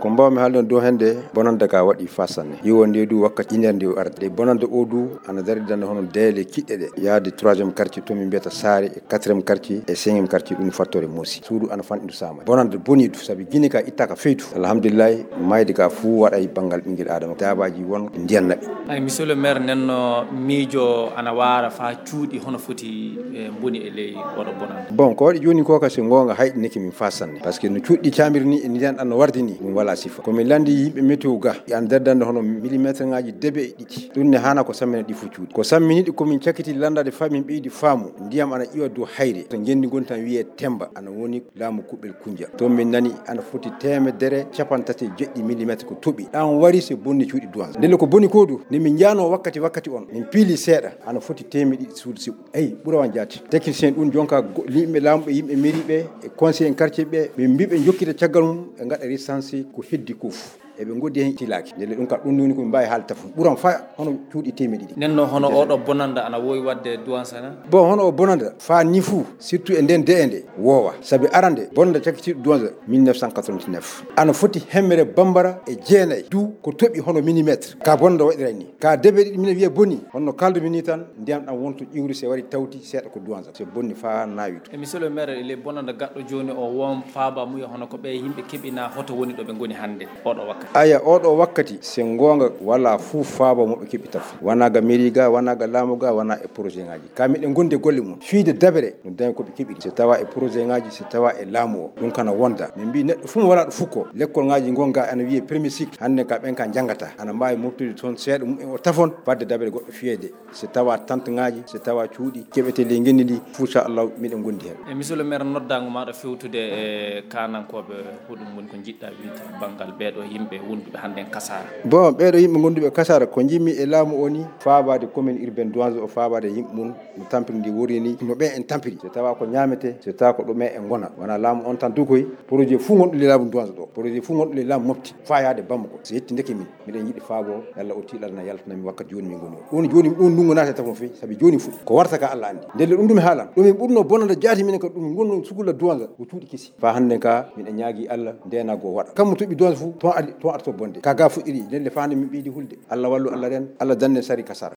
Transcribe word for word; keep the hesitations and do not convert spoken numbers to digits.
Ko mbaawmi haalde on dow hannde, bonannde ka waɗi faa sanne. Iwo nde du wakkati iner nde o arde. Bonannde o du ana darida hono deele kiɗɗe ɗe. Yaade troisième quartier to min mbiyata Saare, e quatrième quartier, e cinquième quartier, ɗum fattoore Moosi. Suudu ana fanɗi ndu saama. Bonannde boni du, sabi Gine ka ittaaka feydu. Alhamdulillahi, mayde ka fuu waɗay banngal ɓinngel Aadama. Daabaaji won ndiyan naɓi. Ay, monsieur le maire, nen no miijo ana waara faa cuuɗi hono foti, eh, mboni e ley oɗo bonannde. Bon, ko waɗi jooni ko ka, si ngoonga, hayɗinike min faa sanne. Parce que no cuuɗi caamiri ni, e ndiyan ɗan no wardi ni, ɗum walaa sifa. Ko min lanndi yimɓe météo ga, e an nder dande hono millimetre ŋaaji debe e ɗiɗi. Ɗum ne haana ko sammina ɗi fuu cuuɗi. Ko sammini ɗi ko min cakiti lanndade faa min ɓeydi faamu. Ndiyam ana iwa dow hayre. To ngenndi ngon tan wiyee Temba. Ana woni laamu Kuɓel Kunja. Toon min nani ana foti teemedere cappanɗe tati e jeɗɗi millimetre ko toɓi. Ɗan wari se bonni cuuɗi Duwanza. Ndelle ko boni ko du, nde min njaanoo wakkati, wakkati on, min piili seeɗa, ana foti teemedde ɗiɗi suudu siɓɓu. Eyi, ɓura wan jaati. Technicien ɗum jonka go-, yimɓe laamu ɓe, yimɓe mairie ɓe, e conseil en quartier ɓe, min mbii ɓe njokkita caggal mum, ɓe ngaɗa recensé ko heddi ko fof. Eɓe ngoddi heen tilaaki. Ndelle ɗum ka ɗum woni ko min mbaawi haalde tafon. Ɓuran fa hono cuuɗi teemedde ɗiɗi. Nen no hono oɗo bonanda ana wowi wadde Duwanza na? Bon, hono o bonanda fa ni fuu, surtout e nden de'e nde, woowa. Sabi arande, bonanda cakitiiɗo Duwanza mille neuf cent quatre-vingt-neuf. Ana foti hemere bambara e jeenay, du ko toɓi hono millimetre. Ka bonanda waɗiray ni. Ka debe ɗiɗi minen wiye boni, honno kaldu mi ni tan, ndiyam ɗam wonto ƴiwri se wari tawti seeɗa ko Duwanza. Se bonni fa naawi to. E monsieur le maire, le bonanda gaɗɗo jooni o won faaba muya hono ko ɓe yimɓe keɓina hoto woni ɗo ɓe ngoni hannde oɗo wakkati? Aya, oɗo wakkati, se ngoonga, wala fuu faaba mo ɓe keɓi taf. Wana ga mairie ga, wana ga laamu ga, wana e projet ngaji. Ka miɗen gondi e golle mum. Fiide dabere, no dañi ko ɓe keɓiri. Se tawa e projet ngaji, se tawa e laamu o. Ɗum kana wonda. Min mbii neɗɗo fuu mo wala ɗo fukko. Lekkol ngaji ngon ga ana wiye premier cycle. Hannde ka ɓen ka njangata. Ana mbaawi moftude toon seeɗa mum en o tafon, fadde dabere goɗɗo fiyede. Se tawa tante ngaji, se tawa cuuɗi, keɓete ley ngenndi ndi, fuu, inchallah, miɗen gondi heen. E monsieur le maire, noddaango maɗa fewtude e kaanankooɓe, ko ɗum woni ko njiɗɗa wiide banngal ɓeeɗo yimɓe wonduɓe hannde en Kasara? Bon, ɓeeɗo yimɓe gonduɓe Kasara, ko njimmi e laamu o ni, faabaade commune urbaine Duwanza o, faabaade yimɓe mum, no tampiri ndi woni ni, no ɓe en tampiri. Se tawa ko ñaamete, se tawa ko ɗume e ngona. Wona laamu on tan dukoy, projet fuu gonɗo ley laamu Duwanza ɗo, projet fuu gonɗo ley laamu Mopti, faa yaade Bamako. Se yetti ndeke min. Miɗen yiɗi faabo, yalla o tiiɗal na yaltana min wakkati jooni min ngoni o. Ɗum jooni, ɗum ndungu naata tafon fey, sabi jooni fuɗi. Ko warta ka Allah anndi. Ndelle ɗum ɗum haalan. Ɗum min ɓurno bonanda jaati minen ka ɗum ngonno sukula Duwanza, ko cuuɗi kesi. Fa hannde ka, miɗen ñaagi Allah, ndena go waɗa. Kammu toɓi Duwanza fu, ton adi, ton arto bonde. Ka ga fuɗɗiri, ndelle fa hannde min ɓeydi hulde. Allah wallu, Allah ren, Allah dannen sari Kasara.